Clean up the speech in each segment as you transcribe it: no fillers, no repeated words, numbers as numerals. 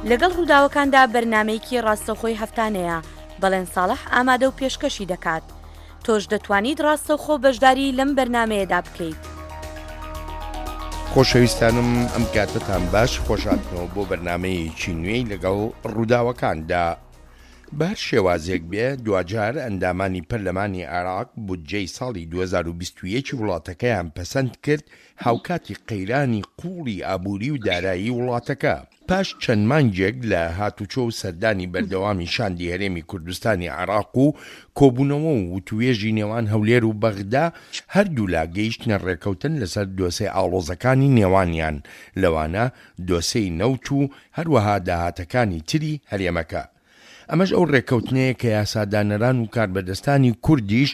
لەگەڵ ڕووداوەکاندا بەرنامەیەکی ڕاستەوخۆی هەفتانەیە، بەڵێن ساڵح ئامادە و پێشکەشی دەکات. تۆش دەتوانیت ڕاستەوخۆ بەشداری لەم بەرنامەیەدا بکەیت. خۆشەویستانم ئەم کاتەتان باش خۆشهاتنەوە بۆ بەرنامەیەکی نوێی لەگەڵ ڕووداوەکاندا. بە هەر شێوازێک بێ دواجار ئەندامانی پەرلەمانی عێراق بودجەی ساڵی 2021 وڵاتەکەیان پەسەند کرد هاوکاتی قەیرانی قووڵی ئابووری و دارایی وڵاتەکە. پاش چەند مانگێک لە هاتوچۆ و سەردانی بەردەوامی شاندی هەرێمی کوردستانی عێراق و کۆبوونەوە و وتووێژی نێوان هەولێر و بەغدا، هەردوولا گەیشتنە ڕێکەوتن لەسەر دۆسێ ئاڵۆزەکانی نێوانیان، لەوانە دۆسێی نەوت و هەروەها داهاتەکانی تری هەرێمەکە. ئەمەش ئەو ڕێککەوتنەیە کە یاسادانەران و کاربەدەستانی کوردیش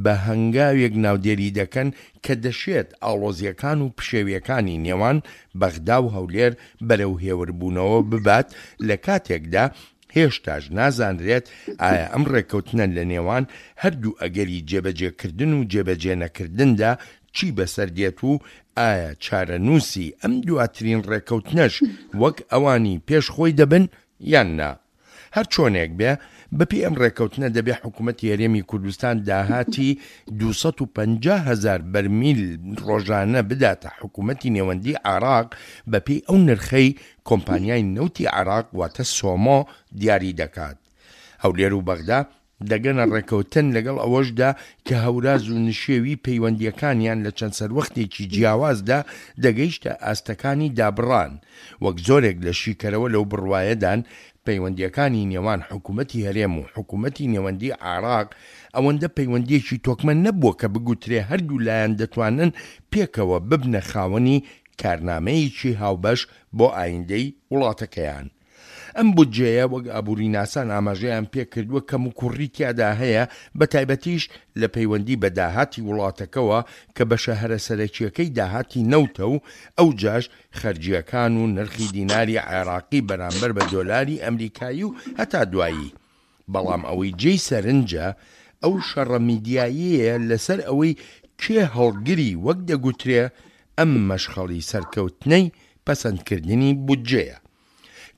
بە هەنگاوێک ناودێری دەکەن کە دەشێت ئاڵۆزییەکان و پشێوییەکانی نێوان بەغدا و هەولێر بەرەو هێوربوونەوە ببات لە کاتێکدا هێشتاش نازانرێت ئایا ئەم ڕێککەوتنە لە نێوان هەردوو ئەگەری جێبەجێکردن و جێبەجێنەکردندا چی بەسەر دێت و ئایا چارەنووسی ئەم دواترین ڕێککەوتنەش وەک ئەوانی پێش خۆی دەبن یان نا؟ هەر چۆنێک بێ، بەپێی ئەم ڕێککەوتنە دەبێ حکوومەتی هەرێمی کوردستان داهاتی 250 هەزار بەرمیل ڕۆژانە بداتە حکوومەتی نێوەندیی عێراق بەپێی ئەو نرخەی کۆمپانیای نەوتی عێراق واتە سۆمۆ دیاری دەکات. هەولێر و بەغدا دەگەنە ڕێکەوتن لەگەڵ ئەوەشدا کە هەوراز و نشێوی پەیوەندییەکانیان لە چەند سەروەختێکی جیاوازدا دەگەیشتە ئاستەکانی دابڕان، وەک زۆرێک لە شیکەرەوە لەو بڕوایەدان پەیوەندییەکانی نێوان حکومەتی هەرێم و حکومەتی نێوەندی عێراق ئەوەندە پەیوەندییەکی تۆکمە نەبووە کە بگوترێ هەردوو لایەن دەتوانن پێکەوە ببنە خاوەنی کارنامەیەکی هاوبەش بۆ ئایندەی وڵاتەکەیان. ئەم بودجەیە وەک ئابووریناسان ئاماژەیان پێکردووە کەموکوڕی تیادا هەیە بەتایبەتیش لە پەیوەندی بە داهاتی وڵاتەکەوە کە بەشە هەرە سەرەکییەکەی داهاتی نەوتە و ئەوجاش خەرجییەکان و نرخی دیناری عێراقی بەرامبەر بە دۆلاری ئەمریکایی و هەتا دوایی بەڵام ئەوەی جێی سەرنجە ئەو شەڕە میدیاییەیە لەسەر ئەوەی کێ هەڵگری وەک دەگوترێ ئەم مەشخەڵی سەرکەوتنەی پەسەندکردنی بودجەیە.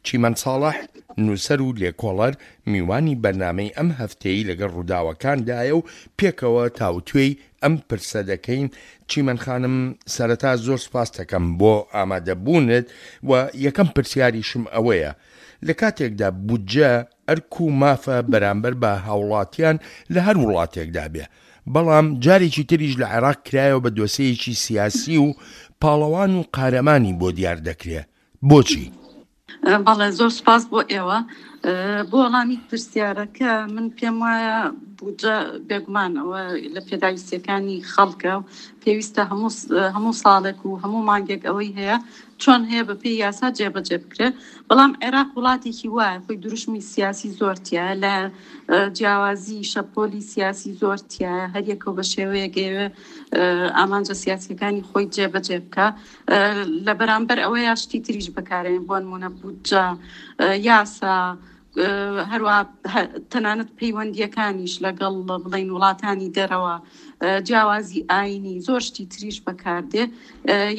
چیمەن ساڵح، نووسەر و لێکۆڵەر، میوانی بەرنامەی ئەم هەفتەیەی لەگەڵ ڕووداوەکاندایە و پێکەوە تاوتوێی ئەم پرسە دەکەین. چیمەن خانم، سەرەتا زۆر سوپاستەکەم بۆ ئامادەبوونت و یەکەم پرسیاریشم ئەوەیە، لە کاتێکدا بودجە ئەرک و مافە بەرامبەر بە هاوڵاتیان لە هەر وڵاتێکدا بێ، بەڵام جارێکی تریش لە عێراق کرایەوە بە دۆسێیەکی سیاسی و پاڵەوان و قارەمانی بۆ دیار دەکرێ، بۆچی؟ بەڵێ زۆر سوپاس بۆ ئێوە. بۆ وەڵامی پرسیارەکە من پێم وایە بودجە بێگومان ئەوە لە پێداویستیەکانی خەڵکە و پێویستە هەموو هەموو ساڵێک و هەموو مانگێک ئەوەی هەیە چۆن هەیە بە پێی یاسا جێبەجێ بکرێت بەڵام عێراق وڵاتێکی وایە خۆی دروشمی سیاسی زۆر تایە لە جیاوازی شەپۆلی سیاسی زۆر تایە هەریەکەو بە شێوەیەک ئەیەوێ ئامانجە سیاسیەکانی خۆی جێبەجێ بکە لە بەرامبەر ئەوەیە شتی تریش بەکارێن بۆ نمونە بودجە یاسا هەروە تەنانەت پەیوەندیەکانیش لەگەڵ بڵین وڵاتانی دەرەوە جیاوازی ئاینی زۆر شتی تریش بەکاردێ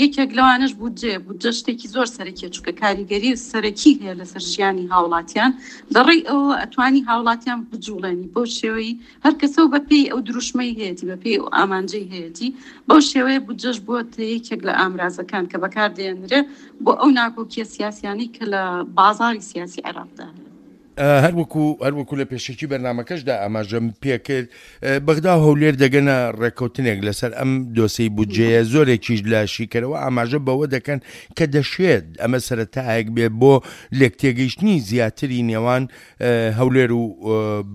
یەکێک لەوانەش بودجێ بودجە شتێکی زۆر سەرەکیە چونکە کاریگەری سەرەکی هەیە لەسەر ژیانی هاوڵاتیان لەڕێی ئەوە ئەتوانی هاوڵاتیان بجوڵێنی بەو شێوەی هەر کەسە و بەپێی ئەو دروشمەی هەیەتی بەپێی ئەو ئامانجەی هەیەتی بەو شێوەیە بودجەش بووەتە یەکێک لە ئامرازەکان کە بەکاردێنرێ بۆ ئەو ناکۆکیە سیاسیانەی کە لە بازاڕی سیاسی عێراقدا هەیە. هەروەکو هەروەکو لە پێشەکی بەرنامەکەشدا ئاماژەم پێکرد بەغدا و هەولێر دەگەنە ڕێککەوتنێک لەسەر ئەم دۆسێی بودجەیە زۆرێکیش لە شیکەرەوە ئاماژە بەوە دەکەن کە دەشێت ئەمە سەرەتایەک بێ بۆ لێکتێگەیشتنی زیاتری نێوان هەولێر و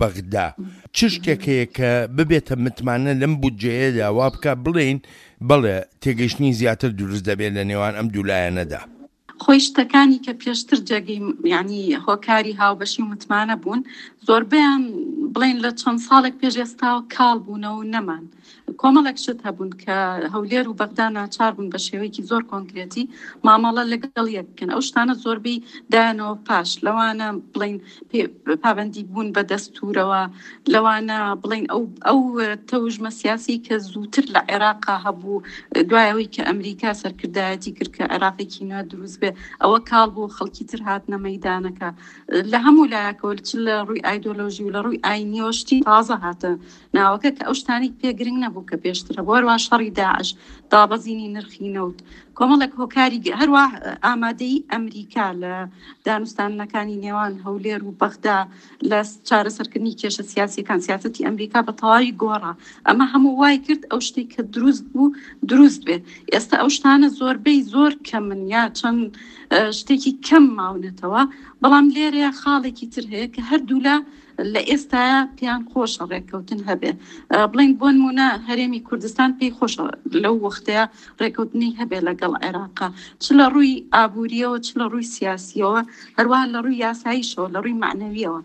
بەغدا چ شتێک هەیە کە ببێتە متمانە لەم بودجەیەدا وا بکە بڵێین بەڵێ تێگەیشتنی زیاتر دروست دەبێت لە نێوان ئەم دوو لایەنەدا؟ خۆی شتەکانی کە پێشتر جێگەی یعنی هۆکاری هاوبەشی و متمانە بوون زۆربەیان بڵێن لە چەند ساڵێک پێش ئێستاوە کاڵ بوونەوە و نەمان کۆمەڵێک شت هەبوون کە هەولێر و بەغدا ناچار بوون بە شێوەیەکی زۆر کۆنکرێتی مامەڵە لەگەڵ یەک بکەن ئەو شتانە زۆربەی دایانەوە پاش لەوانە بڵین پابەندی بوون بە دەستورەوە لەوانە بڵین ئەو ئەو تەوژمە سیاسی کە زووتر لە عێراقا هەبوو دوایەوەی کە ئەمریکا سەرکردایەتی کرد کە عێراقێکی نوێ دروست بێ. ئەوە کاڵ بوو خەڵکی تر هاتنە مەیدانەکە لە هەموو لایەکەوە چ لە ڕووی ئایدۆلۆژی و لە ڕووی ئاینیەوە شتی تازە هاتە ناوەکە کە ئەو شتانەی پێ گرنگ نەبوو کە پێشتر هەبوو هەروە شەڕی داعش دابەزینی نرخی نەوت کۆمەڵێک هۆکاری هەروە ئامادەی ئەمریکا لە دانوستاندنەکانی نێوان هەولێر و بەغدا لە چارەسەرکردنی کێشە سیاسیەکان سیاسەتی ئەمریکا بە تەواوی گۆڕا ئەمە هەموو وای کرد ئەو شتێک کە دروست بوو دروست بێ ئێستا ئەو شتانە زۆربەی زۆر کەمن یا چەند شتێکی کەم ماونەتەوە بەڵام لێرەیە خاڵێکی تر هەیە کە هەردوولا لە ئێستایا پێیان خۆشە ڕێککەوتن هەبێ بڵین بۆ نمونە هەرێمی کوردستان پێی خۆشە لەو وەختەیە ڕێککەوتنی هەبێ لەگەڵ عێراقا چ لە ڕووی ئابووریەوە چ لە ڕووی سیاسیەوە هەروە لە ڕووی یاساییشەوە لە ڕووی معنەویەوە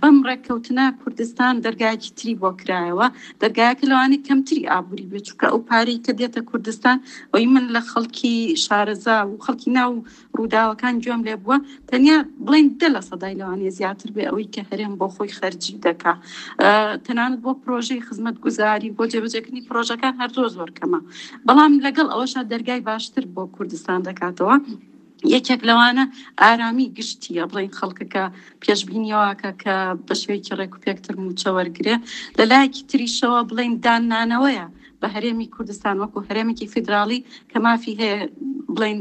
بەم ڕێککەوتنە کوردستان دەرگایەکی تری بۆ کرایەوە دەرگایەکە لەوانەیە کەمتری ئابووری بێت چونکە ئەو پارەی کە دێتە کوردستان ئەوی من لە خەڵکی شارەزا و خەڵکی ناو ڕووداوەکان گوێم لێ بووە تەنیا بڵین دە لە سەدای لەوانەیە زیاتر بێ ئەوەی کە هەرێم بۆ خۆی خەرجی دەکا تەنانەت بۆ پرۆژەی خزمەت گوزاری بۆ جێبەجێکردنی پرۆژەکان هەر زۆر زۆر کەمە بەڵام لەگەڵ ئەوەشا دەرگای باشتر بۆ کوردستان دەکاتەوە. یەکێک لەوانە ئارامی گشتیە بڵین خەڵکەکە پێشبینیەوەکە کە بە شێوەیەکی ڕێک و پێکتر موچە وەرگێ لە لایەکی تریشەوە بڵین داننانەوەیە بە هەرێمی کوردستان وەکو هەرێمێکی فیدراڵی کە مافی هەیە بڵین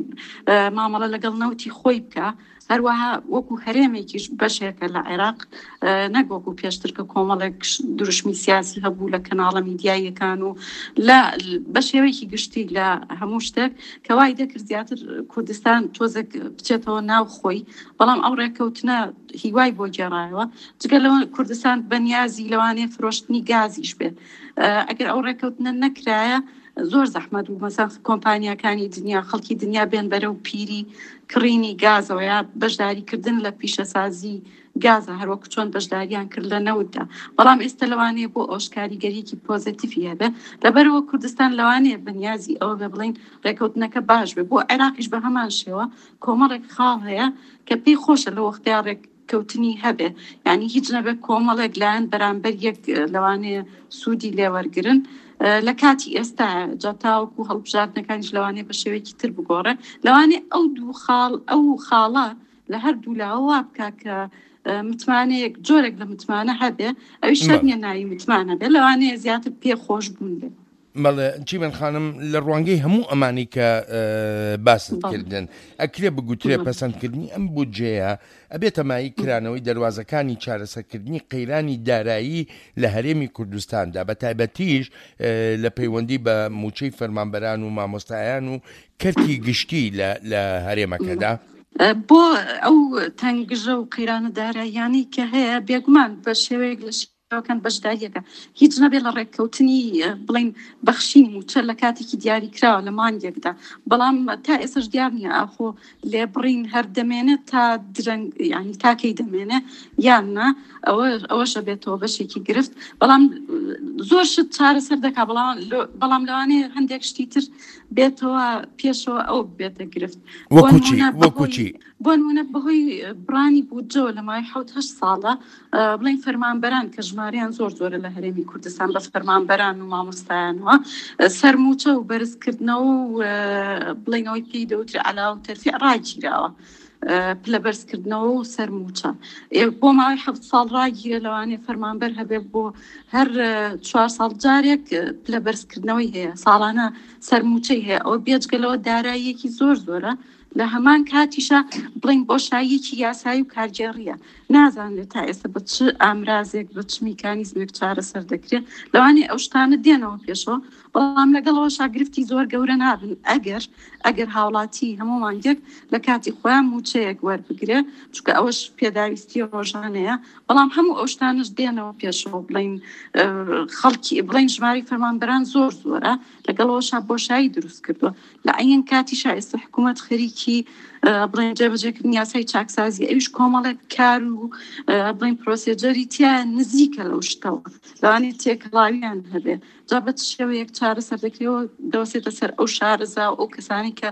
مامەڵە لەگەڵ نەوتی خۆی بکە هەروەها وەکو هەرێمێکیش بەشێکە لە عێراق نەک وەکو پێشتر کە کۆمەڵێک دروشمی سیاسی هەبوو لە کەناڵە میدیاییەکان و لە بە شێوەیەکی گشتی لە هەموو شتێک کە وای دەکرد زیاتر کوردستان تۆزێک بچێتەوە ناو خۆی بەڵام ئەو ڕێککەوتنە هیوای بۆ گێڕایەوە جگە لەوە کوردستان بەنیازی لەوانەیە فرۆشتنی گازیش بێت ئەگەر ئەو ڕێککەوتنە نەکرایە زۆر زەحمەت بوو مەسەن کۆمپانیاکانی دنیا خەڵکی دنیا بێن بەرەو پیری کڕینی گازەوە یا بەشداریکردن لە پیشەسازی گازە هەروەکو چۆن بەشداریان کرد لە نەوتدا بەڵام ئێستا لەوانەیە بۆ ئەوش کاریگەریەکی پۆزەتیفی هەبێ لەبەرەوە کوردستان لەوانەیە بەنیازی ئەوە بێ بڵین ڕێکەوتنەکە باش بێ بۆ عێراقیش بە هەمان شێوە کۆمەڵێک خاڵ هەیە کە پێی خۆشە لە وەختیا ڕێک کەوتنی هەبێ یعنی هیچ نەبێ کۆمەڵێک لایەن بەرامبەر یەک لەوانەیە سوودی لێوەرگن لە کاتی ئێستا جا تاوەکو هەڵبژاردنەکانیش لەوانەیە بە شێوەیەکی تر بگۆڕێ لەوانەیە ئەو دوو خاڵ ئەو خاڵە لە هەردوو لاوە وا بکا کە متمانەیەک جۆرێک لە متمانە هەبێ ئەویش شەرت نییە ناوی متمانە بێ لەوانەیە زیاتر پێ خۆش بوون بێ. بەڵێ چیمەن خانم لە ڕوانگەی هەموو ئەمانی کە باست کردن ئەکرێ بگوترێ پەسەندکردنی ئەم بودجەیە ئەبێتە مایەی کرانەوەی دەروازەکانی چارەسەرکردنی قەیرانی دارایی لە هەرێمی کوردستاندا بە تایبەتیش لە پەیوەندی بە موچەی فەرمانبەران و مامۆستایان و کەرتی گشتی لە هەرێمەکەدا؟ بۆ ئەو تەنگژە و قەیرانە داراییانەی کە هەیە بێگومان بە شێوەیەک لە شێوەکان بەشداریەکە هیچ نەبێت لە ڕێککەوتنی بڵین بەخشینی مووچە لە کاتێکی دیاریکراوە لە مانگێکدا بەڵام تا ئێسش دیار نییە ئاخۆ لێبڕین هەر دەمێنێت تا درەنگ ینی تاکەی دەمێنێ یان نا ئەوە ئەوەشە بێتەوە بەشێکی گرفت بەڵام زۆر شت چارەسەر دەکا بەڵام بەڵام لەوانەیە هەندێک شتی تر بێتەوە پێشەوە ئەو بێتە گرفت وەکوچی وەکوچی بۆ نمونە بەهۆی بڕانی بودجەوە لە ماوەی حەوت هەشت ساڵە بڵێن فەرمانبەران کە ژمارەیان زۆر زۆرە لە هەرێمی کوردستان بە فەرمانبەران و مامۆستایانەوە سەرموچە و بەرزکردنەوە و بڵێنەوەی پێی دەوترێ عەلاوە و تەرفیع ڕاگیراوە پلە بەرزکردنەوە و سەرموچە بۆ ماوەی حەفت ساڵ ڕاگیرە لەوانەیە فەرمانبەر هەبێ بۆ هەر چوار ساڵ جارێک پلە بەرزکردنەوەی هەیە ساڵانە سەرموچەی هەیە ئەوە بێجگە لەوە داراییەکی زۆر زۆرە لە هەمان کاتیشا بڵێین بۆشاییەکی یاسایی و کارگێڕییە، نازانرێت تا ئێستا بە چ ئامرازێک، بە چ میکانیزمێک چارەسەر دەکرێت، لەوانەیە ئەو شتانە دێنەوە پێشەوە، بەڵام لەگەڵ ئەوەشا گرفتی زۆر گەورە نابن ئەگەر ئەگەر هاوڵاتی هەموو مانگێک لە کاتی خۆیان مووچەیەک وەربگرێ، چونکە ئەوەش پێداویستی ڕۆژانەیە، بەڵام هەموو ئەو شتانەش دێنەوە پێشەوە، بڵێین خەڵکی بڵێین ژمارەی فەرمانبەران زۆر زۆرە، لەگەڵ ئەوەشا بۆشایی دروست کردووە. لە عەین کاتیشا ئێستا حکوومەت خەریکی بڵێن جێبەجێکردنی یاسای چاکسازی ئەویش کۆمەڵێک کار و بڵێن پرۆسێجەری تیا نزیکە لەو شتەوە لەوانەیە تێکەڵاویان هەبێ جا بە چ شێوەیەک چارەسەر دەکرێەوە دەوەسێتە سەر ئەو شارەزا و ئەو کەسانی کە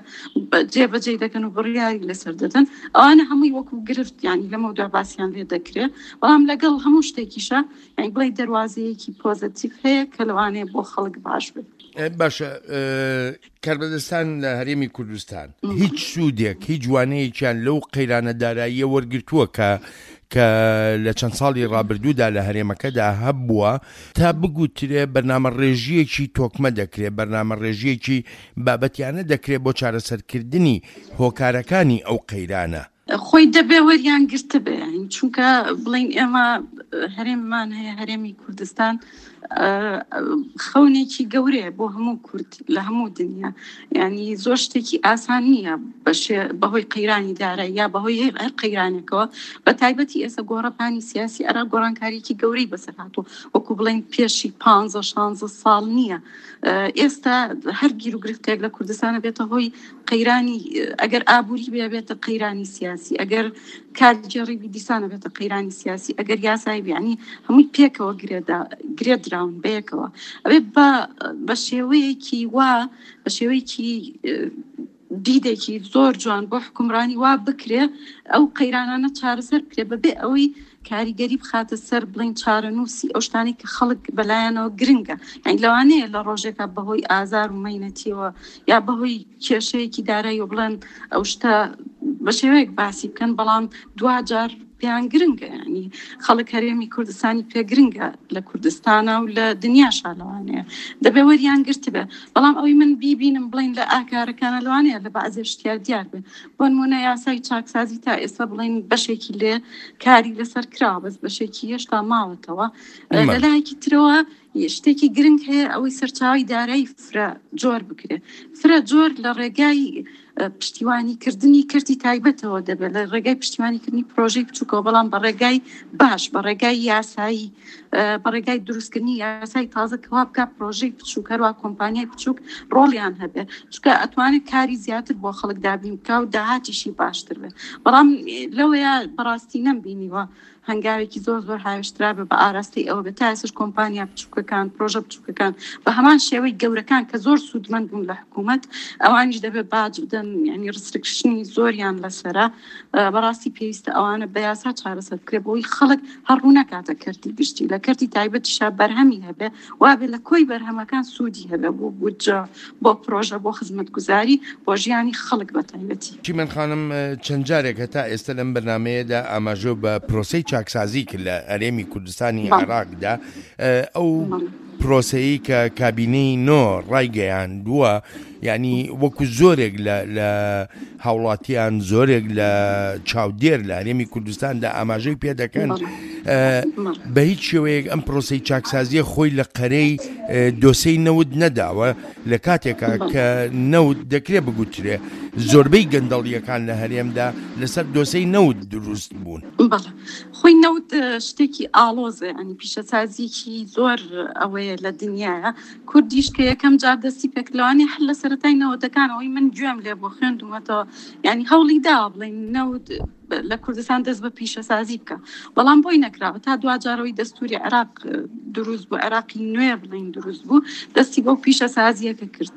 جێبەجێ دەکەن و بڕیاری لەسەر دەدەن ئەوانە هەمووی وەکو گرفت ینی لەمە دوا باسییان لێ دەکرێت بەڵام لەگەڵ هەموو شتێکیشە یانی بڵێ دەواازەیەکی پۆزەتیف هەیە کە لەوانەیە بۆ خەڵک باش بێت. باشە کاربەدەستان لە هەرێمی کوردستان هیچ سوودێک هیچ وانەیەکیان لەو قەیرانە داراییە وەرگرتووە کە کە لە چەند ساڵی ڕابردوودا لە هەرێمەکەدا هەبووە تا بگوترێ بەرنامە ڕێژیەکی تۆکمە دەکرێ بەرنامە ڕێژیەکی بابەتیانە دەکرێ بۆ چارەسەرکردنی هۆکارەکانی ئەو قەیرانە. خۆی دەبێ وەریان گرتبێ یانی چونکە بڵین ئێمە هەرێممان هەیە هەرێمی کوردستان خەونێکی گەورەیە بۆ هەموو کورد لە هەموو دنیا ینی زۆر شتێکی ئاسان نییە بەهۆی قەیرانی دارە یا بەهۆی هەر قەیرانێکەوە بە تایبەتی ئێستا گۆڕەپانی سیاسی عێراق گۆڕانکاریکی گەورەی بەسەر هاتووە وەکو بڵین پێشی پ شانزە ساڵ نییە ئێستا هەر گیروگرفتێک لە کوردستانە بێتە هۆی قەیرانی ئەگەر ئابووری بێ بێتە قەیرانی سیاسی ئەگەر کارگێڕی بی دیسانە بێتە قەیرانی سیاسی ئەگەر یاسایی بیانی هەمووی پێکەوە گرێدا گرێدراون بەیەکەوە ئەبێ بە بە شێوەیەکی وا بە شێوەیەکی دیدێکی زۆر جوان بۆ حکومڕانی وا بکرێ ئەو قەیرانانە چارەسەر بکرێ بەبێ ئەوەی کاریگەری بخاتە سەر بڵین چارەنووسی ئەو شتانەی کە خەڵک بەلایەنەوە گرنگە یعنی لەوانەیە لە ڕۆژێکا بەهۆی ئازار و مەینەتیەوە یا بەهۆی کێشەیەکی دارایی و بڵێن ئەو شتە بە شێوەیەک باسی بکەن بەڵام دواجار پێیان گرنگە ینی خەڵک هەرێمی کوردستانی پێ گرنگە لە کوردستانە و لە دنیاشا لەوانەیە دەبێ وەریان گرتبێ بەڵام ئەوەی من بیبینم بڵین لە ئاکارەکانە لەوانەیە لە بەعزێ شتیا دیار بێ بۆ نمونە یاسای چاکسازی تا ئێستا بڵین بەشێکی لێ کاری لەسەر کراوە بەس بەشێکی هێشتا ماوەتەوە لەلایەکی ترەوە شتێکی گرنگ هەیە ئەوەی سەرچاوی دارایی فرە جۆر بکرێت فرە جۆر لە ڕێگای پشتیوانی کردنی کەرتی تایبەتەوە دەبێت لە ڕێگای پشتیوانی کردنی پرۆژەی بچووکەوە بەڵام بە ڕێگای باش بە ڕێگای یاسایی بە ڕێگای دروستکردنی یاسای تازە کەوا بکە پرۆژەی بچووک هەروە کۆمپانیای بچووک ڕۆڵیان هەبێ چونکە ئەتوانێت کاری زیاتر بۆ خەڵک دابین بکە و داهاتیشی باشتر بێت بەڵام لەوەیە بەڕاستی نەمبینیوە هەنگاوێکی زۆر زۆر هاوێشترا بێ بە ئاراستەی ئەوە بێت تا ئێستاش کۆمپانیا بچووکەکان پرۆژە بچووکەکان بە هەمان شێوەی گەورەکان کە زۆر سوودمەند بوون لە حکوومەت ئەوانیش دەبێت باج بدەن یعنی ڕسترکشنی زۆریان لەسرە بەڕاستی پێویستە ئەوانە بە یاسا چارەسەر بکرێت بۆی خەڵک هەر ڕوو نەکاتە کەرتی گشتی لە کەرتی تایبەتیشا بەرهەمی هەبێ وابێ لە کۆی بەرهەمەکان سوودی هەبێ بۆ بودجە بۆ پرۆژە بۆ خزمەتگوزاری بۆ ژیانی خەڵک بە تایبەتی. چیمەن خانم چەند جارێک هەتا ئێستا لەم بەرنامەیەدا ئاماژە بە پرۆسەی چاکسازی کرد لە هەرێمی کوردستانی عێراقدا ئەو پرۆسەیەی کە کابینەی نۆ ڕایگەیاندووە یعنی وەکو زۆرێک لە هاوڵاتیان زۆرێک لە چاودێر لە هەرێمی کوردستاندا ئاماژەی پێ دەکەن بە هیچ شێوەیەک ئەم پرۆسی چاکسازیە خۆی لە قەرەی دۆسەی نەوت نەداوە لە کاتێکا کە نەوت دەکرێت بگوترێ زۆربەی گەندەڵیەکان لە هەرێمدا لەسەر دۆسەی نەوت دروست بوون. خۆی نەوت شتێکی ئاڵۆزە ینی پیشەسازیکی زۆر ئەوەیە لە دنیاە کوردیش کە یەکەم جار دەستی پێکرد لەوانەیە هەر لە سەرەتای نەوەدەکانەوەی من گوێم لێ بووە خوێندومەتەوە یعنی هەوڵی داوە بڵێین نەوت لە کوردستان دەست بە پیشەسازی بکە بەڵام بۆی نەکراوە تا دواجارەوەی دەستوری عێراق دروست بوو عێراقی نوێ بڵین دروست بوو دەستی بەو پیشەسازیەکە کرد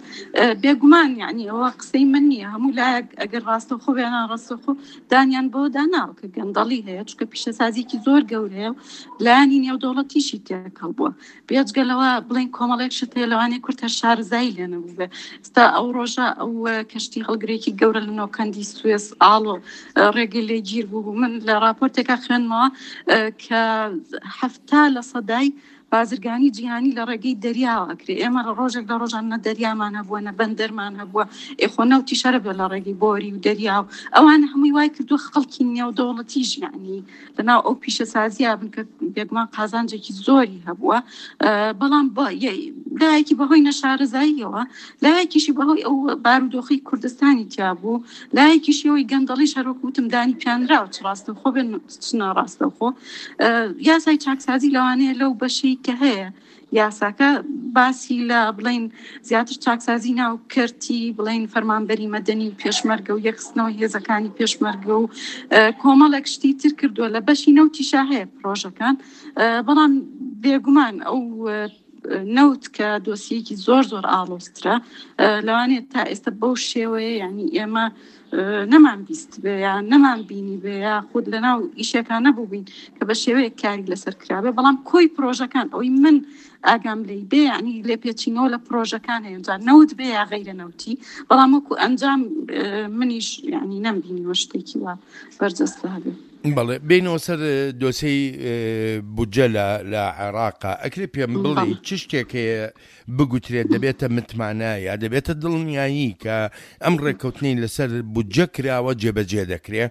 بێگومان یعنی ئەوە قسەی من نییە هەموو لایەک ئەگەر ڕاستەوخۆ بێ ناڕاستەوخۆ دانیان بەوە داناوە کە گەندەڵی هەیە چونکە پیشەسازیکی زۆر گەورەیە و لایەنی نێودەوڵەتیشی تێکەڵ بووە بێجگە لەوە بڵێن کۆمەڵێک شت هەیە لەوانەیە کورد هەر شارەزایی لێ نەبووبێ ئێستا ئەو ڕۆژە ئەو کەشتی هەڵگرێکی گەورە لە نۆکەندی سوێس ئاڵۆ ڕێگەی لێ گیر بوو من لە راپۆرتێکا خوێندمەوە کە 70 لە سەدای بازرگانی جیهانی لە ڕێگەی دەریاوە ئەکرێ ئێمە لە ڕۆژێک لە ڕۆژان نە دەریامان هەبووە نە بەندەرمان هەبووە ئێ خۆ نەوتیش هەرە بێ لە ڕێگەی بۆری و دەریا و ئەوانە هەمووی وای کردووە خەڵکی نێودەوڵەتیش یعنی لەناو ئەو پیشەسازیە بن کە بێگومان قازانجێکی زۆری هەبووە بەڵام لایەکی بەهۆی نەشارەزاییەوە لایەکیشی بەهۆی ئەو بارودۆخی کوردستانی تیا بوو لایەکیشی ئەوەی گەندەڵی شەرۆک وتم دانی پیانراوە چ ڕاستەوخۆ بێن چ ناڕاستەوخۆ یاسای چاکسازی لەوانەیە لەو بەشەی کە هەیە یاساکە باسی لە بڵین زیاتر چاکسازی ناو کەرتی بڵین فەرمانبەری مەدەنی و پێشمەرگە و یەکخستنەوەی هێزەکانی پێشمەرگە و کۆمەڵێک شتی تر کردووە لە بەشی نەوتیشا هەیە پرۆژەکان بەڵام بێگومان ئەو نەوت کە دۆسیەکی زۆر زۆر ئاڵۆزترە لەوانەیە تا ئێستا بەو شێوەیە یعنی ئێمە نەمان بیست بێ یا نەمان بینی بێ یا خود لەناو ئیشەکان نەبووبین کە بە شێوەیەک کاری لەسەر کرابێ بەڵام کۆی پرۆژەکان ئەوەی من ئاگام لێی بێ یعنی لێپێچینەوە لە پرۆژەکان هەیە جا نەوت بێ یا غەیرە نەوتی بەڵام وەکو ئەنجام منیش یعنی نەمبینیوە شتێکی وا بەرجەستە هەبێ. بەڵێ بینەوە سەر دۆسەی بودجە لە لە عێراقا ئەکرێ پێم بڵێ چ شتێک هەیە بگوترێت دەبێتە متمانە یا دەبێتە دڵنیایی کە ئەم ڕێککەوتنەی لەسەر بودجە کراوە جێبەجێ دەکرێ؟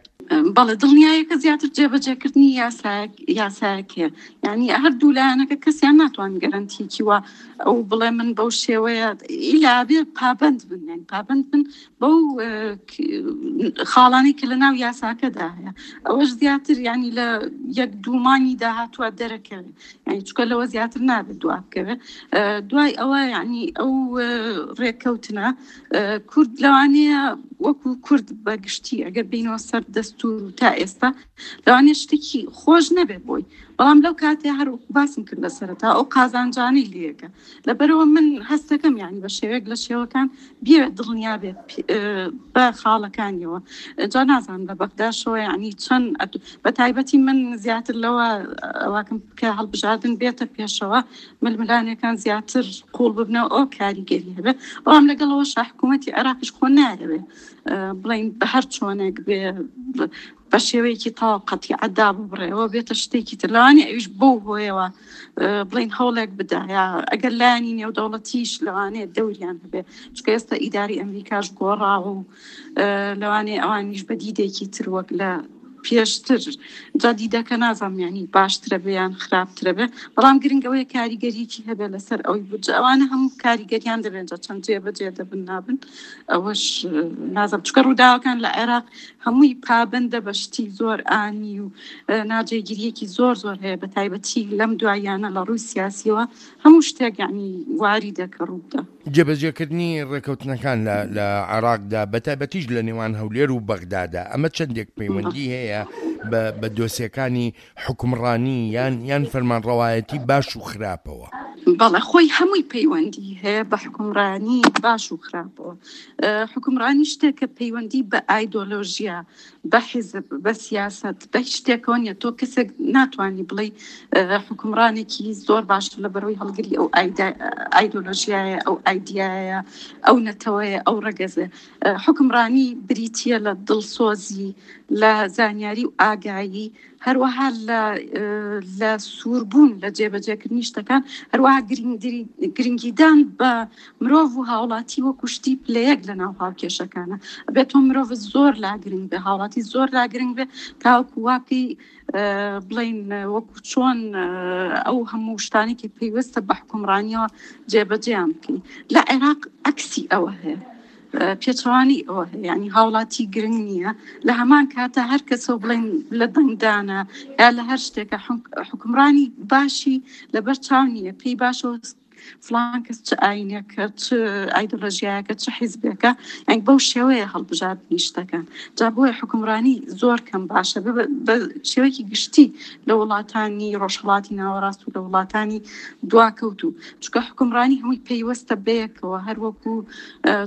بەڵێ دڵنیایەکە زیاتر جێبەجێکردنی یاسایەک یاسایەکەیە یعنی هەردوو لایەنەکە کەسیان ناتوان گەرەنتیکی وە ئەو بڵێ من بەو شێوەیە ئیلا بێ پابند بن یان پابند بن بەو خاڵانەی کە لە ناو یاساکەدا هەیە ئەوەش زیاتر ینی لە یەک دوومانی داهاتوە دەرەکەوێت یعنی چکە لەوە زیاتر نابێت دوا بکەوێت دوای ئەوە یعنی ئەو ڕێککەوتنە کورد لەوانەیە وەکو کورد بە گشتی ئەگەر بینەوە سەر دەستور و تا ئێستا لەوانەیە شتێکی خۆش نەبێت بۆی بەڵام لەو کاتێ هەر باسم کرد لە سەرەتا ئەو قازانجانەی لەکە لەبەرەوە من هەستەکەم یعنی بە شێوەیەک لە شێوەکان بیەوێت دڵنیا بێت بە خاڵەکانیەوە جا نازانم لە بەغداشەوە یعنی چەند بە تایبەتی من زیاتر لەوە ئەوواکەم کە هەڵبژاردن بێتە پێشەوە ململانێکان زیاتر قوڵ ببنەوە ئەو کاریگەری هەبێ بەڵام لەگەڵەوە شا حکوومەتی عێراقیش خۆ نایەوێ بڵین بە هەر چۆنێک بێ بە شێوەیەکی تەواو قەتیعە داببڕێەوە بێتە شتێکی تر لەوانەیە ئەویش بەو هۆیەوە بڵین هەوڵێک بدا یا ئەگەر لایەنی نێودەوڵەتیش لەوانەیە دەوریان هەبێ چونکە ئێستا ئیداری ئەمریکاش گۆڕاوە و لەوانەیە ئەوانیش بە دیدێکی تر وەک لە پێشتر جا دیدەکە نازانم یانی باشترە بێ یان خراپترە بێ بەڵام گرنگ ئەوەیە کاریگەریی هەبێ لەسەر ئەوەی بودجە ئەوانە هەموو کاریگەریان دەبێن جا چەند جێ بەجێ دەبن نابن ئەوەش نازانم چونکە ڕووداوەکان لە عێراق هەمووی پابەندە بە شتی زۆر ئانی و ناجێگیریەکی زۆر زۆر هەیە بە تایبەتی لەم دواییانە لە ڕووی سیاسیەوە هەموو شتێک یعنی واری دەکە ڕووبدا. جێبەجێکردنی ڕێکەوتنەکان لە لە عێراقدا بە تایبەتیش لە نێوان هەولێر و بەغدادا ئەمە چەندێک پەیوەندی هەیە بە بە دۆسیەکانی حوکمڕانی یان یان فەرمانڕەوایەتی باش و خراپەوە؟ بەڵێ خۆی هەمووی پەیوەندی هەیە بە حوکمڕانی باش و خراپەوە. حوکمڕانی شتێکە پەیوەندی بە ئایدۆلۆژیا، بە حیزب، بە سیاسەت، بە هیچ شتێکەوە نییە. تۆ کەسێک ناتوانی بڵێی حوکمڕانێکی زۆر باشە لە بەرەوەی هەڵگری ئەو ئایدۆلۆژیایە، ئەو ئایدیایە، ئەو نەتەوەیە، ئەو ڕەگەزە. حوکمڕانی بریتییە لە دڵسۆزی، لە زانیاری و ئاگایی، هەروەها لە لە سووربوون لە جێبەجێکردنی شتەکان، هەروەها گرنگیدان بە مرۆڤ و هاوڵاتی وەکو شتی پلە یەک لە ناو هاوکێشەکانە. ئەبێت تۆ مرۆڤ زۆر لا گرنگ بێ، هاوڵاتی زۆر لا گرنگ بێ تاوەکو وا بکەی بڵێین وەکو چۆن ئەو هەموو شتانەی کە پەیوەستە بە حوکمڕانیەوە جێبەجێیان بکەی. لە عێراق عەکسی ئەوە هەیە. پێچەوانەی ئەوە هەیە یعنی هاوڵاتی گرنگ نییە لە هەمان کاتە هەر کەسەوە بڵێن لە دەنگدانە یا لە هەر شتێکە حکومڕانی باشی لەبەر چاو نییە پێی باشەوە فلان کەس چ ئاینێکە چ ئایدۆلۆژیایەکە چ حیزبێکە یعنی بەو شێوەیە هەڵبژاردنی شتەکان جا بۆیە حکومڕانی زۆر کەم باشە بە شێوەیەکی گشتی لە وڵاتانی ڕۆژهەڵاتی ناوەڕاست و لە وڵاتانی دواکەوتوو چونکە حکومڕانی هەمووی پەیوەستە بەیەکەوە هەروەکو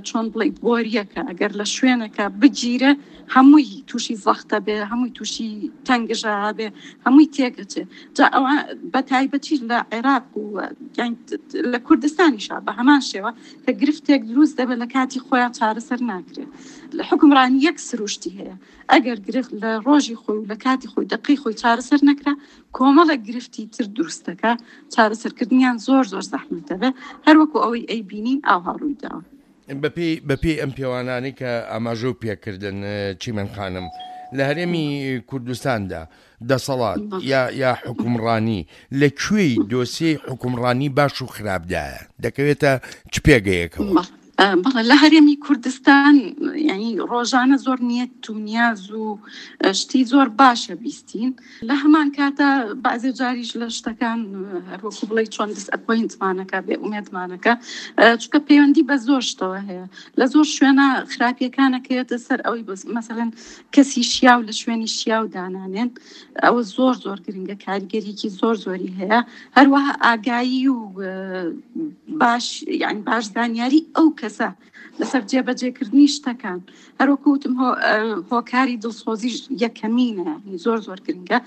چۆن بڵێ بۆریەکە ئەگەر لە شوێنەکە بگیرە هەمووی تووشی زەختە بێ هەمووی تووشی تەنگژە بێ هەمووی تێکەچێ جا ئەوە بە تایبەتی لە عێراق و لە کوردستانیشا بە هەمان شێوە کە گرفتێک دروست دەبێت لە کاتی خۆیان چارەسەر ناکرێت لە حکومڕانی یەک سروشتی هەیە ئەگەر گرفت لە ڕۆژی خۆی و لە کاتی خۆی دقی خۆی چارەسەر نەکرا کۆمەڵێک گرفتی تر دروست دەکا چارەسەرکردنیان زۆر زۆر زەحمەت دەبێت هەروەکو ئەوەی ئەیبینین ئاوها ڕوویداوە. بەپێی بەپێی ئەم پێوانانەی کە ئاماژەو پێکردن چیمەن خانم لە هەرێمی کوردستاندا دەسەڵات یا یا حوکمڕانی لە کوێی دۆسیەی حوکمڕانی باش و خراپدایە دەکەوێتە چ پێگەیەکەوە؟ بەڵێ لە هەرێمی کوردستان یعنی ڕۆژانە زۆر نیەت و نیاز و شتی زۆر باشە بیستین لە هەمان کاتە بەعزێ جاریش لە شتەکان هەروەکو بڵێ چۆن دیس ئەپۆینتمانەکە بێ ئومێدمانەکە چونکە پەیوەندی بە زۆر شتەوە هەیە لە زۆر شوێنە خراپیەکانەکەوێتە سەر ئەوەی بەس مەسەلەن کەسی شیاو لە شوێنی شیاو دانانێن ئەوە زۆر زۆر گرنگە کاریگەریکی زۆر زۆری هەیە هەروەها ئاگایی و باش یعنی باش زانیاری ئەو کەسە لەسەر جێبەجێکردنی شتەکان هەروەکو وتم هۆکاری دڵسۆزیش یەکەمینە یانی زۆر زۆر گرنگە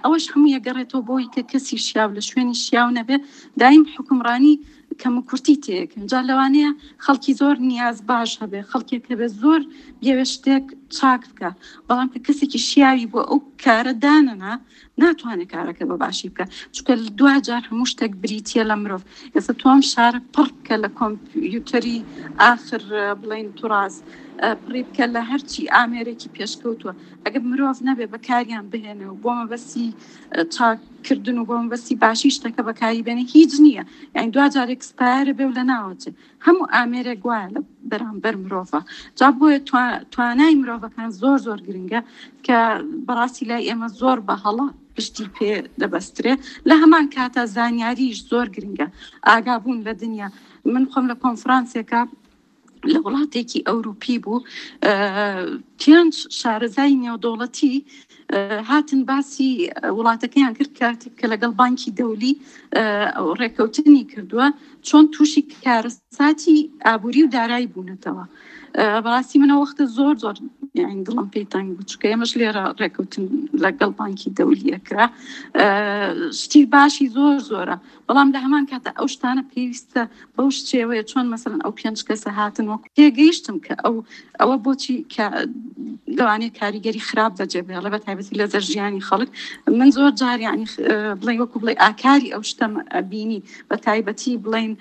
ئەوەش هەموو یەگەڕێتەوە بۆی کە کەسی شیاو لە شوێنی شیاو نەبێ دایم حکومڕانی کەم و کورتی تێکەن جا لەوانەیە خەڵکی زۆر نیاز باش هەبێ خەڵکێک هەبێ زۆر بیەوێ شتێک چاک بکە بەڵام کە کەسێکی شیاوی بۆ ئەو کارە دانەنا ناتوانێت کارەکە بە باشی بکە چونکە دواجار هەموو شتێک بریتە لە مرۆڤ ئێستا تۆم شارە پڕ بکە لە کۆمپیوتەری ئاخر بڵین توراز پڕی بکە لە هەرچی ئامێرێکی پێشکەوتووە ئەگەر مرۆڤ نەبێ بەکاریان بهێنێ و بۆ مەبەستی چاککردن و بۆ مەبەستی باشی شتەکە بەکاری بێنێ هیچ نییە یعنی دواجار ئێکسپایەرە بێ و لە ناوەچێ هەموو ئامێرێک وایە لە بەرامبەر مرۆڤە جا بۆیە توانای مرۆڤەکان زۆر زۆر گرنگە کە بەڕاستی لای ئێمە زۆر بە هەڵە پشتی پێ دەبەسترێ لە هەمان کاتا زانیاریش زۆر گرنگە ئاگابوون لە دنیا من خۆم لە کۆنفرانسێکە لە وڵاتێکی ئەوروپی بوو پێنج شارەزای نێودەوڵەتی هاتن باسی وڵاتەکەیان کرد کاتێک کە لەگەڵ بانکی دەولی ڕێککەوتنی کردووە چۆن تووشی کارەساتی ئابووری و دارایی بوونەتەوە بەڕاستی منە وەختە زۆر زۆر یعنی دڵم پێی تەنگ بوو چونکە ئێمەش لێرە ڕێککەوتن لەگەڵ بانکی دەولیە کرا شتی باشی زۆر زۆرە بەڵام لە هەمان کاتە ئەو شتانە پێویستە بەو شێوەیە چۆن مەسەلەن ئەو پێنج کەسە هاتن وەکو تێگەیشتم کە ئەو ئەوە بۆچی کە لەوانەیە کاریگەری خراپ بەجێ بهێڵێ بە تایبەتی لە زەر ژیانی خەڵک من زۆر جار یعنی بڵێ وەکو بڵێ ئاکاری ئەو شتەم بینی بە تایبەتی بڵین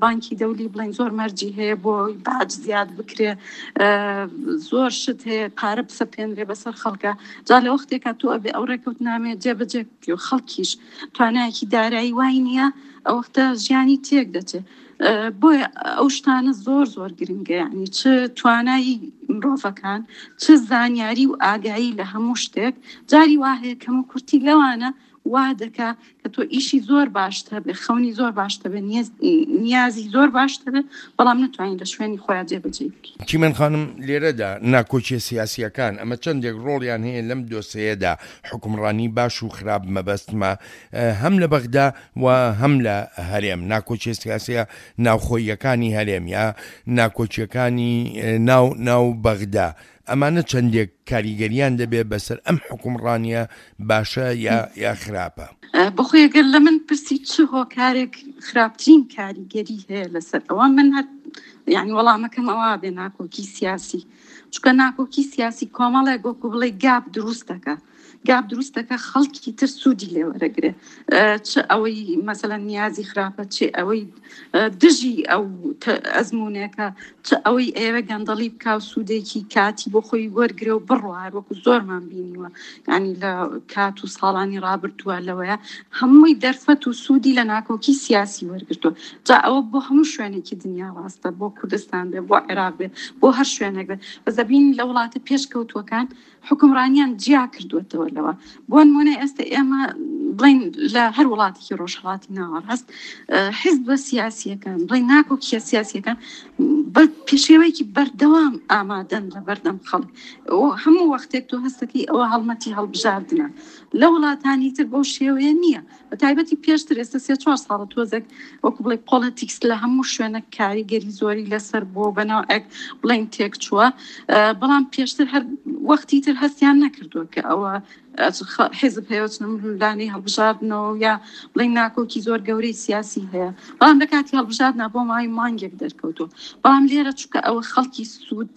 بانکی دەولی بڵین زۆر مەرجی هەیە بۆ باج زیاد بکرێ زۆر شت هەیە پارە بسەپێنرێ بەسەر خەڵکە جا لە وەختێکا تۆ ئەبێ ئەو ڕێکەوتنامەیە جێبەجێ بکەی و خەڵکیش توانایەکی دارایی وای نییە ئەوەختە ژیانی تێک دەچێت بۆیە ئەو شتانە زۆر زۆر گرنگە یعنی چ توانایی مرۆڤەکان چ زانیاری و ئاگایی لە هەموو شتێک جاری وا هەیە کەم و کورتی لەوانە وا دەکا کە تۆ ئیشی زۆر باشت هەبێ خەونی زۆر باشت هەبێ نیازی زۆر باشت هەبێ بەڵام نەتوانین لە شوێنی خۆیان جێبەجێی بکەی. چیمەن خانم لێرەدا ناکۆکیە سیاسیەکان ئەمە چەندێک ڕۆڵیان هەیە لەم دۆسێیەدا حوکمڕانی باش و خراپ مەبەستمە هەم لە بەغدا و هەم لە هەرێم ناکۆکیە سیاسیە ناوخۆییەکانی هەرێم یا ناکۆکیەکانی ناو ناو بەغدا ئەمانە چەندێک کاریگەریان دەبێ بەسەر ئەم حوکمڕانیە باشە یا یا خراپە؟ بەخۆی گەر لە من پرسی چ هۆکارێک خراپترین کاریگەری هەیە لەسەر ئەوە من هەر یعنی وەڵامەکەم ئەوە بێ ناکۆکی سیاسی چونکە ناکۆکی سیاسی کۆمەڵێک وەکو بڵێ گاپ دروست دەکا گاپ دروست دەکا خەڵکی تر سوودی لێ وەرەگرێ چ ئەوەی مەسەلەن نیازی خراپە چ ئەوەی دژی ئەو ئەزمونێکە چ ئەوەی ئەیەوێ گەندەڵی بکا و سوودێکی کاتی بۆ خۆی وەرگرێ و بڕوا وەکو زۆرمان بینیوە یعنی لە کات و ساڵانی ڕابردووە لەوەیە هەمووی دەرفەت و سوودی لە ناکۆکی سیاسی وەرگرتووە جا ئەوە بۆ هەموو شوێنێکی دنیا ڕاستە بۆ کوردستان بێ بۆ عێراق بێ بۆ هەر شوێنێک بێ بەس دەبینین لە وڵاتە پێشکەوتووەکان حوکمڕانیان جیا کردووەتەوە لەوە بۆ نمونە ئێستا ئێمە بڵین لە هەر وڵاتێکی ڕۆژهڵاتی ناوەڕاست حیزبە سیاسیەکان بڵین ناکۆکیە سیاسیەکان بە پێشێوەیەکی بەردەوام ئامادەن لە بەردەم خەڵک هەموو وەختێک تۆ هەستەکەی ئەوە هەڵمەتی هەڵبژاردنە لە وڵاتانی تر بەو شێوەیە نییە بە تایبەتی پێشتر ئێستا سێ چوار ساڵە تۆزێک وەکو بڵێ پۆڵەتیکس لە هەموو شوێنە کاریگەری زۆری لەسەر بۆ بەناوێک بڵین تێکچووە بەڵام پێشتر هەر وەختی تر هەستیان نەکردووە کە ئەوە حیزب هەیە چنە ململانێی هەڵبژاردنەوە یا بڵین ناکۆکی زۆر گەورەی سیاسی هەیە بەڵام لە کاتی هەڵبژاردنا بۆ ماوەی مانگێک دەرکەوتووە بەڵام لێرە چونکە ئەوە خەڵکی سوود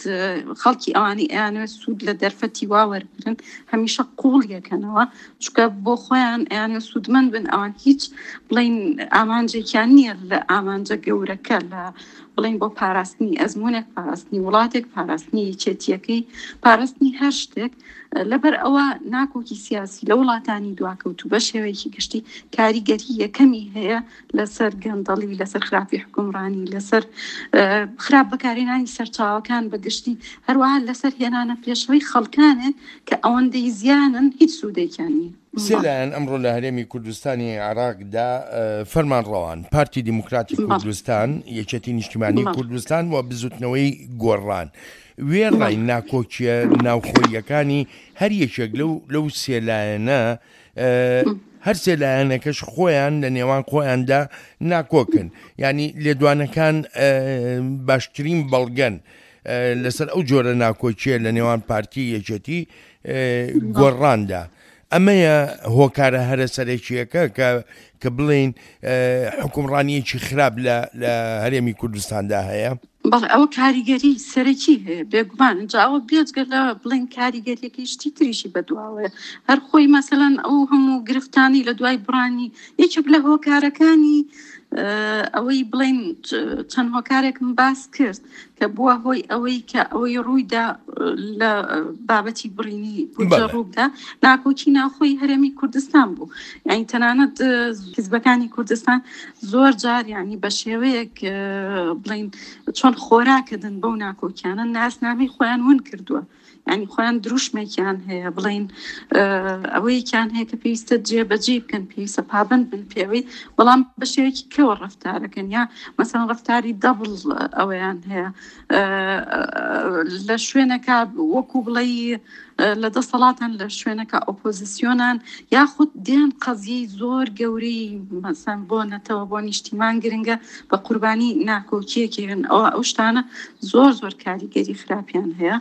خەڵکی ئەوانی ئەیانەوێت سوود لە دەرفەتی وا وەربگرن هەمیشە قوڵ یەکەنەوە چونکە بۆ خۆیان ئەیانەوێت سوودمەند بن ئەوان هیچ بڵین ئامانجێکیان نییە لە ئامانجە گەورەکە لە بڵین بۆ پاراستنی ئەزمونێک پاراستنی وڵاتێک پاراستنی یەکێتیەکەی پاراستنی هەر شتێک لەبەر ئەوە ناکۆکی سیاسی لە وڵاتانی دواکەوتوو بە شێوەیەکی گشتی کاریگەری یەکەمی هەیە لەسەر گەندەڵی، لەسەر خراپی حوکمڕانی، لەسەر خراپ بەکارهێنانی سەرچاوەکان بە گشتی، هەروەها لەسەر هێنانە پێشەوەی خەڵکانێک کە ئەوەندەی زیانن هیچ سوودێکیان نییە. سێ لایەن ئەمڕۆ لە هەرێمی کوردستانی عێراقدا فەرمانڕەوان، پارتی دیموکراتی کوردستان، یەکێتی نیشتیمانی کوردستان و بزوتنەوەی گۆڕان، وێڕای ناکۆکییە ناوخۆییەکانی هەر یەکێک لەو لەو سێ لایەنە، هەرسێ لایەنەکەش خۆیان لە نێوان خۆیاندا ناکۆکن، یانی لێدوانەکان باشترین بەڵگەن. لەسەر ئەو جۆرە ناکۆکیە لە نێوان پارتی یەکێتی گۆڕاندا ئەمەیە هۆکارە هەرە سەرەکییەکە کە کە بڵێین حوکمڕانییەکی خراپ لە لە هەرێمی کوردستاندا هەیە؟ بەڵێ ئەوە کاریگەری سەرەکی هەیە بێگومان جا ئەوە بێجگە لە بڵێن کاریگەریەکەی شتی تریشی بەدواوەیە هەر خۆی مەسەلەن ئەو هەموو گرفتانی لە دوای بڕانی یەکێک لە هۆکارەکانی ئەوەی بڵێن چەند هۆکارێکم باس کرد کە بووە هۆی ئەوەی کە ئەوەی ڕوویدا لە بابەتی بڕینی بودجە ڕووبدا ناکۆکی ناوخۆی هەرێمی کوردستان بوو یعنی تەنانەت حزبەکانی کوردستان زۆر جار یعنی بە شێوەیەک بڵین چۆن خۆراکردن بەو ناکۆکیانە ناسنامەی خۆیان ون کردووە یانی خۆیان دروشمێکیان هەیە بڵین ئەوەیەکیان هەیە کە پێویستە جێبەجێ بکەن پێویستە پابند بن پێوەی بەڵام بە شێوەیەکی کەوە ڕفتارەکەن یا مەسەن ڕفتاری دەبڵ ئەوەیان هەیە لە شوێنەکە وەکو بڵێ لە دەسەڵاتان لە شوێنەکە ئۆپۆزیسیۆنان یاخود دێن قەزیەی زۆر گەورەی مەسەن بۆ نەتەوە بۆ نیشتیمان گرنگە بە قوربانی ناکۆکیەکێن ئەوە ئەو شتانە زۆر زۆر کاریگەری خراپیان هەیە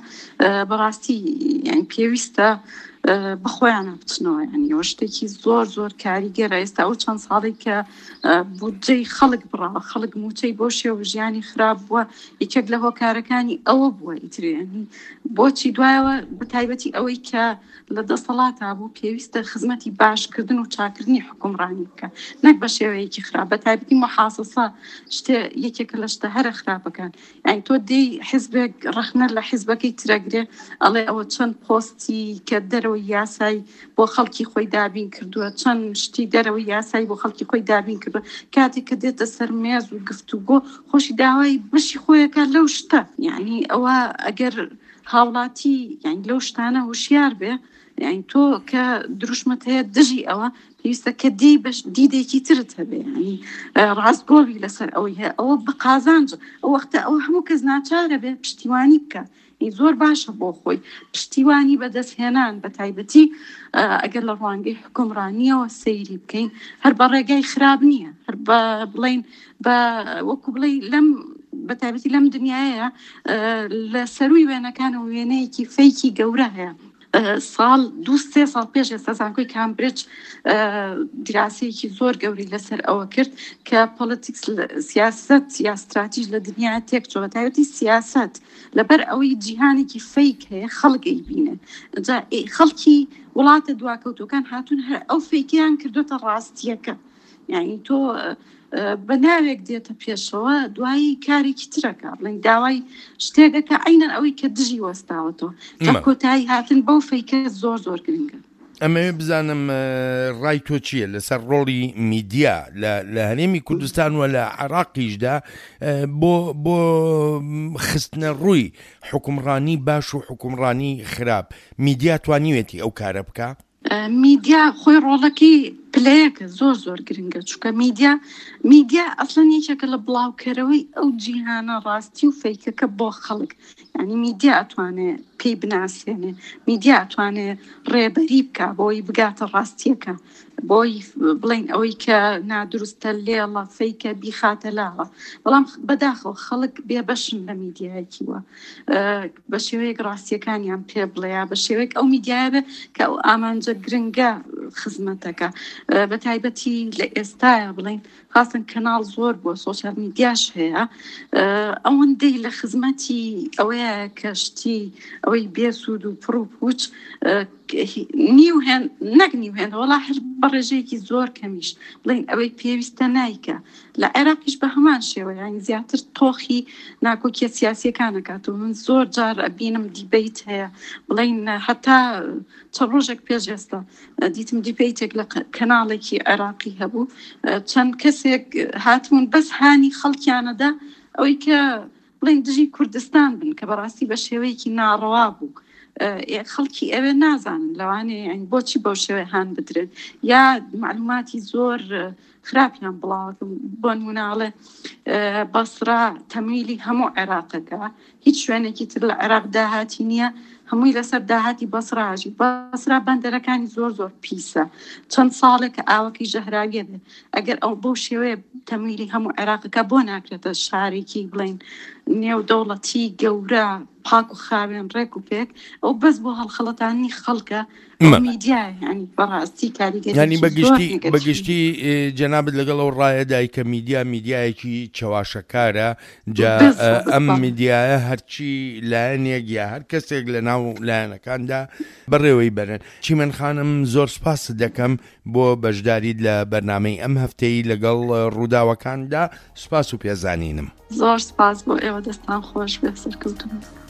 بەڕاستی یان پێویستە بەخۆیانە بچنەوە ینی ئەوە شتێکی زۆر زۆر کاریگەرە ئێستا ئەو چەند ساڵێک کە بودجەی خەڵک بڕاوە خەڵک موچەی بۆ شێوە ژیانی خراپ بووە یەکێک لە هۆکارەکانی ئەوە بووە ئیترێنی بۆچی دوایەوە بەتایبەتی ئەوەی کە لە دەسەڵاتا بوو پێویستە خزمەتی باشکردن و چاکردنی حکومڕانی بکە نەک بە شێوەیەکی خراپ بە تایبەتی محاسەسە شتێ یەکێکە لە شتە هەرە خراپەکان یعنی تۆ دێی حزبێک ڕەخنە لە حزبەکەی ترەگرێ ئەڵێ ئەوە چەند پۆستی کە دەرەوەی یاسای بۆ خەڵکی خۆی دابین کردووە چەند شتی دەرەوەی یاسای بۆ خەڵکی خۆی دابین کردووە کاتێک کە دێتە سەر مێز و گفتوگۆ خۆشی داوای بەشی خۆیەکە لەو شتە یعنی ئەوە ئەگەر هاوڵاتی یانی لەو شتانە هوشیار بێ یانی تۆ کە دروشمت هەیە دژی ئەوە پێویستە کە دی بەش دیدێکی ترت هەبێ ینی ڕاستگۆبی لەسەر ئەوەی هەیە ئەوە بە قازانج ئەو وەختە ئەو هەموو کەس ناچارە بێ پشتیوانی بکە زۆر باشە بۆ خۆی پشتیوانی بەدەستهێنان بە تایبەتی ئەگەر لە ڕوانگەی حکومڕانیەوە سەیری بکەین هەر بە ڕێگای خراپ نییە هەر بە بڵین بە وەکو بڵێ لەم بە تایبەتی لەم دنیاە لە سەروی وێنەکانەوە وێنەیەکی فەیکی گەورە هەیە ساڵ دو سێ ساڵ پێش ئێستا زانکۆی کامبرج دیراسەیەکی زۆر گەوری لەسەر ئەوە کرد کە پۆلتیکس سیاست یا ستراتیژ لە دنیا تێک چۆ تایبەتی سیاست لەبەر ئەوەی جیهانێکی فەیک هەیە خەڵک ئەیبینێ جا خەڵکی وڵاتە دواکەوتوەکان هاتوون هەر ئەو فەیکیان کردوتە ڕاستیەکە یعنی تۆ بە ناوێک دێتە پێشەوە دوایی کارێکی ترەکە بڵێن داوای شتێکەکە عینەن ئەوەی کە دژی وەستاوەتەوە جا کۆتایی هاتن بەو فەیکە زۆر زۆر گرنگە. ئەمەوێ بزانم ڕای تۆ چییە لەسەر ڕۆڵی میدیا لە هەرێمی کوردستان و لە عراقیشدا بۆ بۆ خستنە ڕووی حکومڕانی باش و حکومڕانی خراپ میدیا توانیوێتی ئەو کارە بکە؟ میدیا خۆی ڕۆڵەکەی پلەیەکە زۆر زۆر گرنگە چونکە میدیا میدیا ئەسڵەن یەکێکە لە بڵاوکەرەوەی ئەو جیهانە ڕاستی و فەیکەکە بۆ خەڵک یعنی میدیا ئەتوانێ پێی بناسێنێ میدیا ئەتوانێ ڕێبەری بکە بۆی بگاتە ڕاستیەکە بۆی بڵین ئەوەی کە نادروستە لێڵە فەیکە بیخاتە لاوە بەڵام بەداخەوە خەڵک بێبەشن لە میدیایەکیوە بە شێوەیەک ڕاستیەکانیان پێ بڵێ یا بە شێوەیەک ئەو میدیایە بێ کە ئەو ئامانجە گرنگە خزمەتەکە بە تایبەتی لە ئێستاە بڵین خاستن کەناڵ زۆر بووە سۆسیال میدیاش هەیە ئەوەندەی لە خزمەتی ئەوەیە کە شتی ئەوەی بێسوود و پڕ و پوچ نیو هێن نەک نیو هێن وەڵا هەر بە ڕێژەیەکی زۆر کەمیش بڵین ئەوەی پێویستە نایکە لە عێراقیش بە هەمان شێوە یانی زیاتر تۆخی ناکۆکیە سیاسیەکان ئەکات و من زۆر جار ئەبینم دیبەیت هەیە بڵین هەتا چەند ڕۆژێک پێش ئێستا دیتم دیبەیتێک لە کەناڵێکی عێراقی هەبوو چەند کەسێک هاتبوون بەس هانی خەڵکیانەدا ئەوەی کە بڵێن دژی کوردستان بن کە بەڕاستی بە شێوەیەکی ناڕەوا بوو خەڵکی ئەوێ نازانن لەوانەیە یانی بۆچی بەو شێوەیە هان بدرێن یا معلوماتی زۆر خراپیان بڵاوەکەم بۆ نموناڵێ بەسرا تەمویلی هەموو عێراقەکە هیچ شوێنێکی تر لە عێراق داهاتی نییە هەمووی لەسەر داهاتی بەسراژی بەسرا بەندەرەکانی زۆر زۆر پیسە چەند ساڵێکە ئاوەکەی ژەهراویە بێ ئەگەر ئەو بەو شێوەیە تەمویلی هەموو عێراقەکە بۆ ناکرێتە شارێکی بڵین نێودەوڵەتی گەورە پاک و خاوێن ڕێک و پێک ئەو بەس بۆ هەڵخەڵەتانی خەڵکە میدیا ینی بەڕاستی کاریگەری ینی بەگشتی بەگشتی جەنابت لەگەڵ ئەو ڕایەدای کە میدیا میدیایەکی چەواشەکارە جا ئەم میدیایە هەرچی لایەنێک یا هەر کەسێک لە ناو لایەنەکاندا بەڕێوەی بەرن چیمەن خانم زۆر سپاست دەکەم بۆ بەشداریت لە بەرنامەی ئەم هەفتەی لەگەڵ ڕووداوەکاندا سپاس و پێزانینم. زۆر سپاس بۆ ئێوە دەستان خۆش بێ سەرکەوتوو بن.